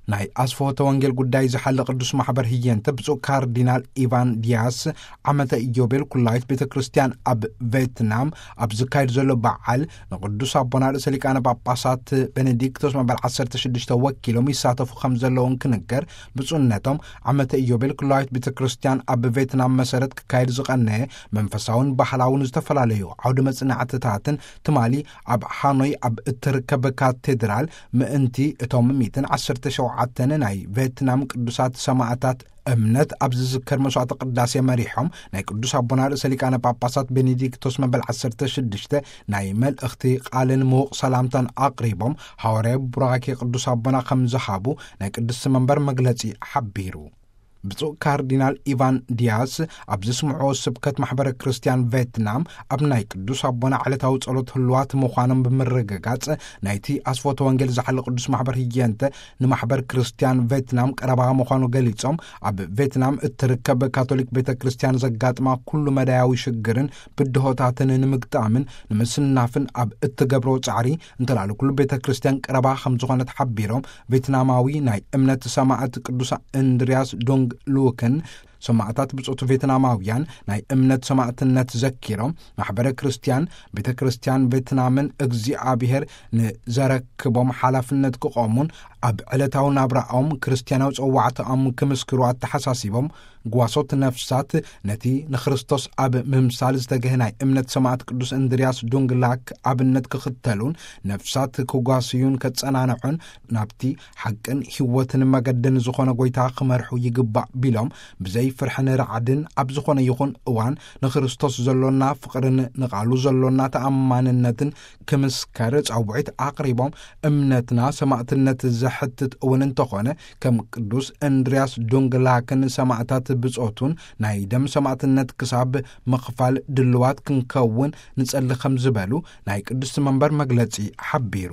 ናይ ኣስፈወተ ወንጌል ጉዳይ ዝሓለ ቅዱስ ማሕበር ህየንተ ብፁዕ ካርዲናል ኢቫን ዲያስ፣ ዓመተ ኢዮቤል ኩላዊት ቤተ ክርስቲያን ኣብ ቬትናም ኣብ ዝካየድ ዘሎ በዓል ንቅዱስ ኣቦና ርእሰ ሊቃነ ጳጳሳት ቤኔዲክቶስ መበል ዓሰርተ ሽዱሽተ ወኪሎም ይሳተፉ ከም ዘለውን ክንገር፣ ብፁዕነቶም ዓመተ ኢዮቤል ኩላዊት ቤተ ክርስቲያን ኣብ ቬትናም መሰረት ክካየድ ዝቐነየ መንፈሳውን ባህላውን ዝተፈላለዩ ዓውደ መጽናዕትታትን ትማሊ ኣብ ሃኖይ ኣብ እትርከብ ካቴድራል ምእንቲ እቶም ሚእትን ዓሰርተ ሸውዓተን ናይ ቬትናም ቅዱሳት ሰማዕታት እምነት ኣብ ዝዝከር መስዋዕተ ቅዳሴ መሪሖም፣ ናይ ቅዱስ ኣቦና ርእሰ ሊቃነ ጳጳሳት ቤኔዲክቶስ መበል ዓሰርተ ሽዱሽተ ናይ መልእኽቲ ቃልን ምዉቕ ሰላምታን ኣቕሪቦም፣ ሃዋርያዊ ቡራኬ ቅዱስ ኣቦና ከም ዝሃቡ ናይ ቅድስቲ መንበር መግለጺ ሓቢሩ። ብፁዕ ካርዲናል ኢቫን ዲያስ ኣብ ዝስምዕዎ ስብከት፣ ማሕበረ ክርስቲያን ቬትናም ኣብ ናይ ቅዱስ ኣቦና ዕለታዊ ጸሎት ህልዋት ምዃኖም ብምርግጋጽ፣ ናይቲ ኣስፎተ ወንጌል ዝሓለ ቅዱስ ማሕበር ህየንተ ንማሕበር ክርስቲያን ቬትናም ቀረባ ምዃኑ ገሊጾም፣ ኣብ ቬትናም እትርከብ ካቶሊክ ቤተ ክርስቲያን ዘጋጥማ ኩሉ መዳያዊ ሽግርን ብድሆታትን ንምግጣምን ንምስናፍን ኣብ እትገብሮ ጻዕሪ፣ እንተላለ ኩሉ ቤተ ክርስቲያን ቀረባ ከም ዝኾነት ሓቢሮም፣ ቬትናማዊ ናይ እምነት ሰማዕት ቅዱስ እንድርያስ ዶንግ ሉክን ሰማዕታት ብጾቱ ቬትናማውያን ናይ እምነት ሰማዕትነት ዘኪሮም፣ ማሕበረ ክርስቲያን፣ ቤተ ክርስቲያን ቬትናምን እግዚኣብሔር ንዘረክቦም ሓላፍነት ክቖሙን ኣብ ዕለታዊ ናብራኦም ክርስቲያናዊ ጸዋዕታኦም ክምስክሩ ኣተሓሳሲቦም፣ ጓሶት ነፍሳት ነቲ ንክርስቶስ ኣብ ምምሳል ዝተገህ ናይ እምነት ሰማዕት ቅዱስ እንድርያስ ዱንግላክ ኣብነት ክኽተሉን ነፍሳት ክጓስዩን ከጸናንዑን ናብቲ ሓቅን ህይወትን መገድን ዝኾነ ጎይታ ክመርሑ ይግባእ ቢሎም፣ ብዘይ ፍርሕን ራዕድን ኣብ ዝኾነ ይኹን እዋን ንክርስቶስ ዘሎና ፍቕርን ንቓሉ ዘሎና ተኣማንነትን ክምስከር ጻውዒት ኣቕሪቦም፣ እምነትና ሰማዕትነት ዘሕትት እውን እንተኾነ፣ ከም ቅዱስ እንድርያስ ዱንግላክን ሰማዕታት ብጾቱን ናይ ደም ሰማዕትነት ክሳብ ምኽፋል ድልዋት ክንከውን ንጸሊ ከም ዝበሉ ናይ ቅድስቲ መንበር መግለጺ ሓቢሩ።